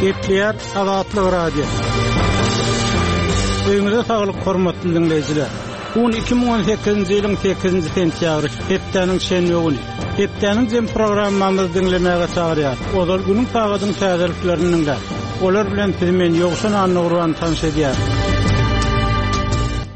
Gepleýär Azatlyk Radiosy. Öýüňize saglyk hormatly diňleýjiler. Bu gün 2018-nji ýylyň 8-nji sentýabry, hepdäniň şenbe güni. Hepdäniň jem programmamyzy diňlemäge çagyrýar. Ozal günüň sagadyň täzeliklerini diňläň. Olar bilen sizi men Ýowşan Annagurban tanyş edýärin.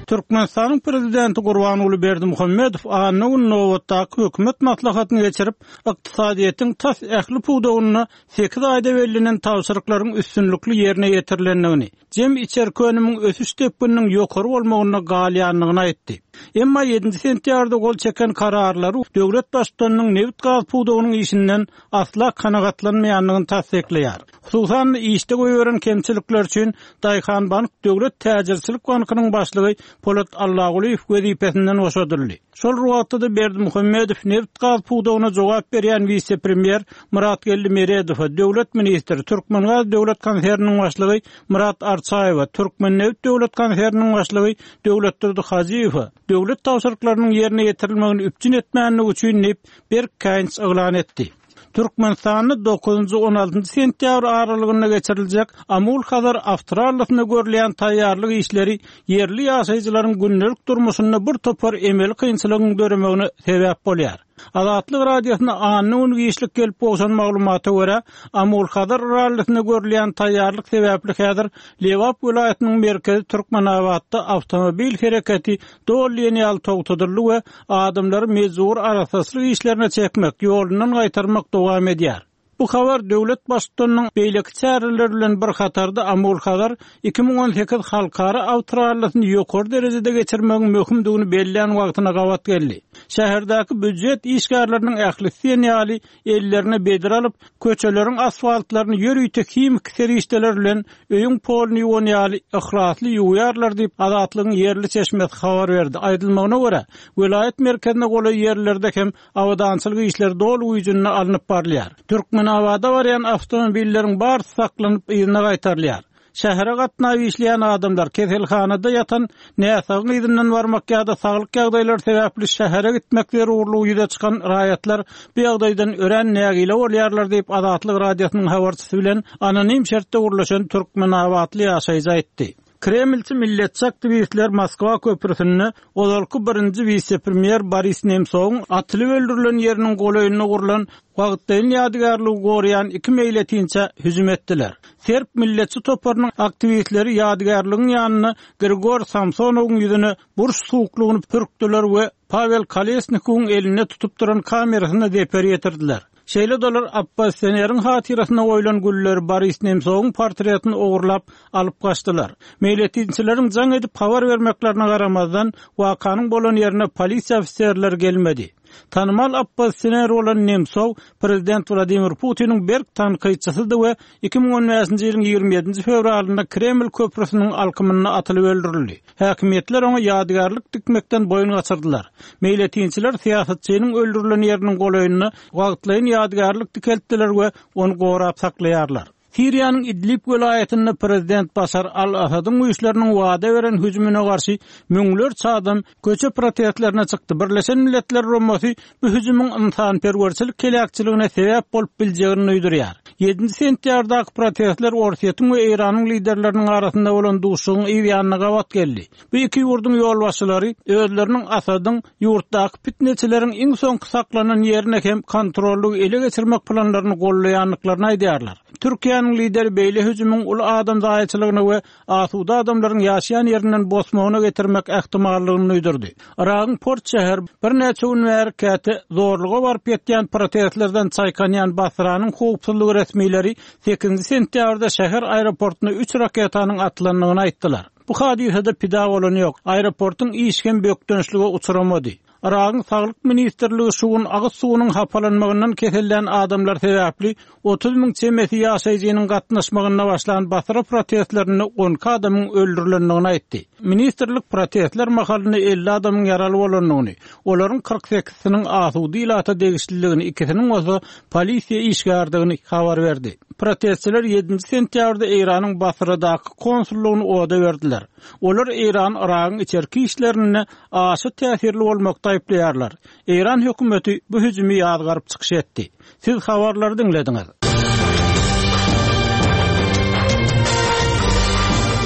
Türkmenistanyň Prezidenti Gurbanguly Berdimuhamedow anna güni nobatdaky hökümet maslahatyny geçirip, ykdysadyýetiň tas ähli pudagynda sekiz aýda bellenen tabşyryklaryň üstünlikli ýerine ýetirilendigini, jemi içerki önümiň ösüş depgininiň ýokary bolmagynda galýandygyny aýtdy. Emma ýedinji sentýabrda gol çeken kararlary döwlet Baştutanynyň nebit-gaz pudagynyň işinden asla kanagatlanmaýandygyny tassyklaýar. Hususan-da, işde goýberen kemçilikleri üçin Daýhanbank döwlet täjirçilik bankynyň başlygy Polat Allagulyýew wezipesinden boşadyldy. Şol bir wagtda-da Berdimuhamedow nebit-gaz pudagyna jogap berýän wise-premýer Myratgeldi Meredowa, döwlet ministri, Türkmengaz döwlet konserniniň başlygy Myrat Arçaýewe, Türkmennebit döwlet konserniniň başlygy Döwletdurdy Hajyýewe döwlet tabşyryklarynyň ýerine ýetirilmegini üpjün etmänligi üçin diýip, berk käýinç yglan etdi. Türkmenistanda dokuzynjy, on altynjy sentýabr aralygynda geçiriljek Amul-Hazar awtorallisine görülýän taýýarlyk işleri ýerli ýaşaýjylaryň gündelik durmuşynda bir topar emeli kynçylygyň döremegine sebäp bolýar. Azatlyk Radiosyna anna güni giçlik gelip gowşan maglumata görä, Amul-Hazar rallisine görülýän taýýarlyk sebäpli häzir Lebap welaýatynyň merkezi Türkmenabatda awtomobil hereketi doly diýen ýaly togtadyldy we adamlary mejbury arassaçylyk işlerine çekmek, ýolundan gaýtarmak dowam edýär. Bu habar döwlet Baştutanynyň beýleki çäreler bilen bir hatarda Amul-Hazar 2018 halkara awtorallisini ýokary derejede geçirmegiň möhümdigini bellän wagtyna gabat geldi. Şäherdäki býujet işgärleriniň ählisi diýen ýaly ellerine bedre alyp, köçeleriň asfaltlaryny ýörite himiki serişdeler bilen öýüň poluny ýuwan ýaly yhlasly ýuwýarlar diýip, Azatlygyň ýerli çeşmesi habar berdi. Aýdylmagyna görä, welaýat merkezine golaý ýerlerde hem abadançylyk işleri doly güýjünde alnyp barylýar. Türkmenabada barýan awtomobilleriň barysy saklanyp, yzyna gaýtarylýar. Şähere gatnap işleýän adamlar keselhanada ýatan näsagyň yzyndan barmak ýa-da saglyk ýagdaýlary sebäpli şähere gitmek zerurlygy ýüze çykan raýatlar bu ýagdaýdan örän nägile bolýarlar diýip, Azatlyk Radiosynyň habarçysy bilen anonim şertde gürleşen türkmenabatly ýaşaýjy aýtdy. Kremlçi milletçi aktiwistler Moskwa köprüsinde ozalky birinji wise-premýer Boris Nemsowyň atylyp öldürilen ýeriniň golaýynda gurlan wagtlaýyn ýadygärligi goraýan iki meýletinçä hüjüm etdiler. Serb milletçi toparynyň aktiwistleri ýadygärligiň ýanynda Grigor Samsonowyň ýüzüne burç suwuklygyny pürkdüler we Pawel Kolesnikowyň elinde tutup duran kamerasyna zeper ýetirdiler. Şeýle-de olar oppozisioneriň hatyrasyna goýlan gülleri Boris Nemsowyň portretini ogurlap alyp gaçdylar. Meýletinçileriň jaň edip habar bermeklerine garamazdan, wakanyň bolan ýerine polisiýa ofiserleri gelmedi. Tanymal oppozisioner bolan Nemsow prezident Wladimir Putiniň berk tankytçysydy we 2015-nji ýylyň 27-nji fewralynda Kreml köprüsiniň alkymynda atylyp öldürildi. Häkimiýetler oňa ýadygärlik dikmekden boýun gaçyrdylar. Meýletinçiler syýasatçynyň öldürilen ýeriniň golaýynda wagtlaýyn ýadygärlik dikeltdiler we ony gorap saklaýarlar. Siriýanyň Idlib welaýatynda prezident Başar al-Asadyň güýçleriniň wada beren hüjümine garşy müňlerçe adam köçe protestlerine çykdy. Birleşen Milletler Guramasy bu hüjümiň ynsanperwerçilik heläkçiligine sebäp bolup biljegini duýdurýar. Ýedinji sentýabrdaky protestler Orsýetiň we Eýranyň liderleriniň arasynda bolan duşuşygyň yz ýanyna gabat geldi. Bu iki ýurduň ýolbaşçylary özleriniň Asadyň ýurtdaky pitneçileriň iň soňky saklanan ýerine hem kontrollygy ele geçirmek planlaryny goldaýandyklaryny aýdýarlar. Türkiýäniň lideri beýle hüjümiň uly adam zaýaçylygyna we asuda adamlaryň ýaşaýan ýerinden bosmagyna getirmek ähtimallygyny duýdurdy. Yragyň port şäheri birnäçe gün bäri käte zorluga baryp ýetýän protestlerden çaýkanýan Basranyň howpsuzlyk resmileri sekizinji sentýabrda şäher aeroportuna üç raketanyň atylandygyny aýtdylar. Bu hadysada pida bolan ýok, aeroportuň işi hem bökdençlige uçramady. Yragyň Saglyk ministrligi şu gün agyz suwunyň hapalanmagyndan kesellän adamlar sebäpli 30 müň çemesi ýaşaýjynyň gatnaşmagynda başlan Basra protestlerinde 12 adamyň öldürilendigini aýtdy. Ministrlik protestler mahalynda 50 adamyň ýaraly bolandygyny, olaryň 48-siniň asuda ilata degişlidigini, ikisiniň bolsa polisiýa işgäridigini habar berdi. Protestçiler ýedinji sentýabrda Eýranyň Basradaky konsullygyny oda berdiler. Olar Eýrany Yragyň içerki işlerinde aşa täsirli bolmakda aýyplaýarlar. Eýran hökümeti bu hüjümi ýazgaryp çykyş etdi. Siz habarlary diňlediňiz.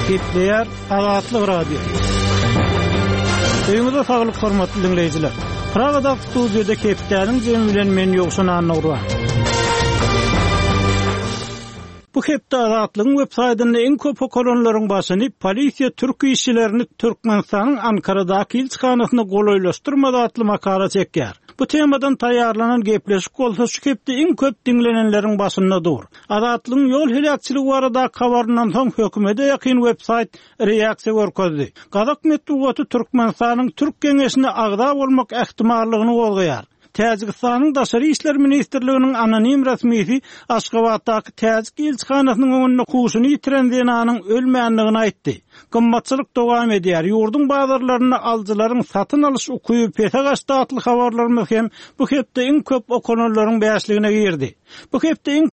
Gepleýär Azatlyk Radiosy. Öýüňize saglyk hormatly diňleýjiler. Pragadaky studiýada hepdäniň jemi bilen men Ýowşan Annagurban. Bu hepde Azatlygyň web saýtynda iň köp okalanlaryň başyny Polisiýa türk işçilerini Türkmenistanyň Ankaradaky ilçihanasyna golaýlaşdyrmady atly makala çekýär. Bu temadan taýýarlanan gepleşik bolsa şu hepde iň köp diňlenenleriň başynda dur. Azatlygyň ýol heläkçiligi baradaky habaryndan soň hökümete ýakyn web saýt reaksiýa görkezdi. Gazak metbugaty Türkmenistanyň Türk geňeşine agza bolmak ähtimallygyny gozgaýar. Täjigistanyň Daşary işler ministrliginiň anonim resmisi Aşgabatdaky täjik ilçihanasynyň öňünde huşuny ýitiren zenanyň ölmändigini aýtdy. Gymmatçylyk dowam edýär, ýurduň bazarlarynda alyjylaryň satyn alyş ukyby pese gaçdy atly habarlarymyz hem bu hepde iň köp okalanlaryň bäşligine girdi. Bu hepde iň.